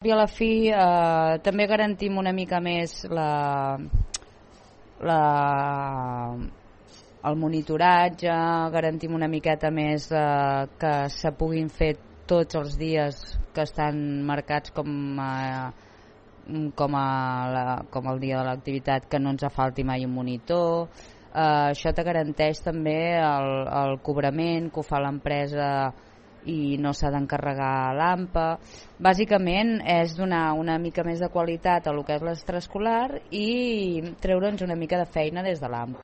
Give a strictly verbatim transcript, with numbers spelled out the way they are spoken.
I a la fi eh, també garantim una mica més la, la, el monitoratge, garantim una miqueta més eh, que se puguin fer tots els dies que estan marcats com a, com, a la, com el dia de l'activitat, que no ens falti mai un monitor. Eh, això te garanteix també el, el cobrament que ho fa l'empresa i no s'ha d'encarregar l'A M P A. Bàsicament és donar una mica més de qualitat a lo que és l'extraescolar i treure'ns una mica de feina des de l'A M P A.